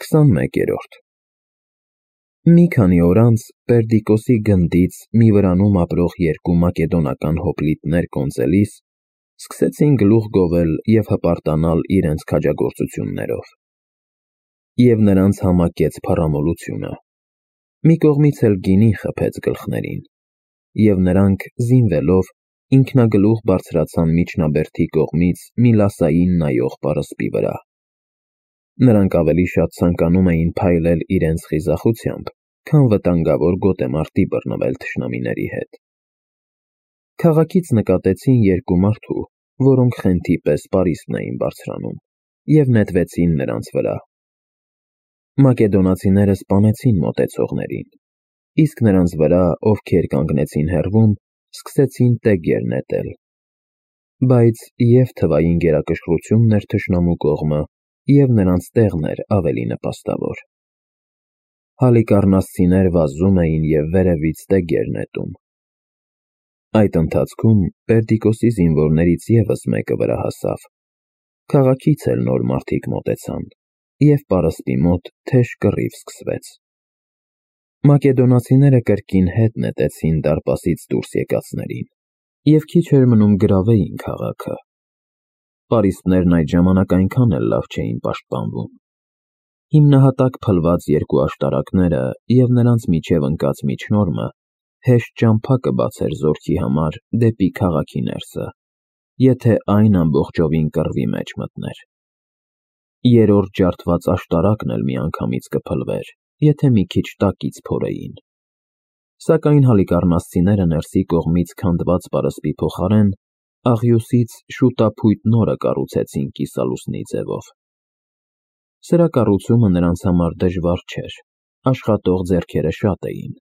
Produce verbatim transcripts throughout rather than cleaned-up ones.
քսանմեկերորդ Մի քանի օր անց Պերդիկոսի գնդից մի վրանում ապրող երկու մակեդոնական հոպլիտներ կոնծելիս սկսեցին գլուխ գովել և հպարտանալ իրենց քաջագործություններով, և նրանց համակեց փառամոլությունը, մի կողմից էլ գինի խփեց գլխներին, և նրանք, զինվելով, ինքնագլուխ բարձրացան միջնաբերդի կողմից մի լասային նայող պարսպի վրա. նրանք ավելի շատ ցանկանում էին փայլել իրենց խիզախությամբ, քան վտանգավոր գոտեմարտի բռնվել թշնամիների հետ: Քաղաքից նկատեցին երկու մարդու, որոնք խենթի պես պարիսպն էին բարձրանում, և նետվեցին նրանց վրա: Մակեդոնացիները սպանեցին մոտեցողներին, իսկ նրանց վրա, ովքեր կանգնեցին հեռվում, սկսեցին տեգեր նետել: Բայց և՛ թվային գերակշռությունն էր թշնամու կողմը, և՛ նրանց տեղն էր ավելի նպաստավոր: Հալիկառնասցիներ վազում էին և վերևից տեգեր նետում: Այդ ընթացքում Պերդիկոսի զինվորներից ևս մեկը վրա հասավ: Քաղաքից էլ նոր մարդիկ մոտեցան, և պարսպի մոտ թեժ կռիվ սկսվեց: Մակեդոնացիները կրկին հետ նետեցին դարպասից դուրս եկածներին, և քիչ էր մնում գրավեին քաղաքը: Պարիսպներն այդ ժամանակ այնքան էլ լավ չէին պաշտպանվում: Հիմնահատակ փլված երկու աշտարակները և նրանց միջև ընկած միջնորմը հեշտ ճամփա կբացեր զորքի համար դեպի քաղաքի ներսը, եթե այն ամբողջովին կռվի մեջ մտներ: Երրորդ ջարդված աշտարակն էլ միանգամից կփլվեր, եթե մի քիչ տակից փորեին: Սակայն հալիկառնասցիները ներսի կողմից քանդված պարսպի փոխարեն աղյուսից շուտափույթ նորը կառուցեցին կիսալուսնի ձևով: Սրա կառուցումը նրանց համար դժվար չէր, աշխատող ձեռքերը շատ էին: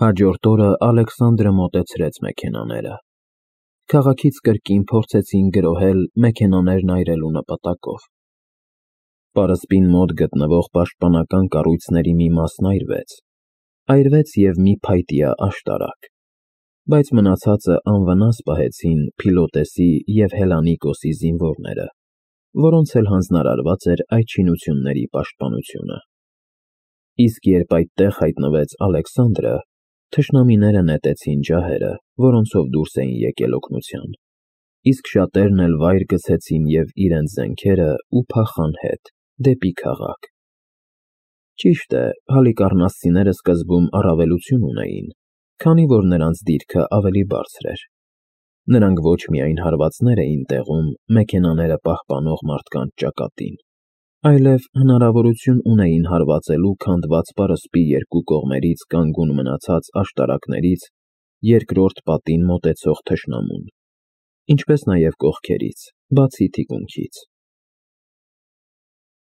Հաջորդ օրը Ալեքսանդրը մոտեցրեց մեքենաները: Քաղաքից կրկին փորձեցին գրոհել մեքենաներն այրելու նպատակով: Պարսպին մոտ գտնվող պաշտպանական կառույցների մի մասն այրվեց, այրվեց և մի փայտյա աշտարակ, բայց մնացածը անվնաս պահեցին Փիլոտեսի և Հելանիկոսի զինվորները, որոնց էլ հանձնարարված էր այդ շինությունների պաշտպանությունը: Իսկ երբ այդտեղ հայտնվեց Ալեքսանդրը, թշնամիները նետեցին ջահերը, որոնցով դուրս էին եկել օգնության, իսկ շատերն էլ վայր գցեցին և իրենց զենքերը ու փախան հետ, դեպի քաղաք: Ճիշտ է, հալիկառնասցիները սկզբում առավելություն ունեին, քանի որ նրանց դիրքը ավելի բարձր էր: Նրանք ոչ միայն հարվածներ էին տեղում մեքենաները պահպանող մարդկանց ճակատին, այլև հնարավորություն ունեին հարվածելու քանդված պարսպի երկու կողմերից կանգուն մնացած աշտարակներից երկրորդ պատին մոտեցող թշնամուն, ինչպես նաև կողքերից, բացի թիկունքից: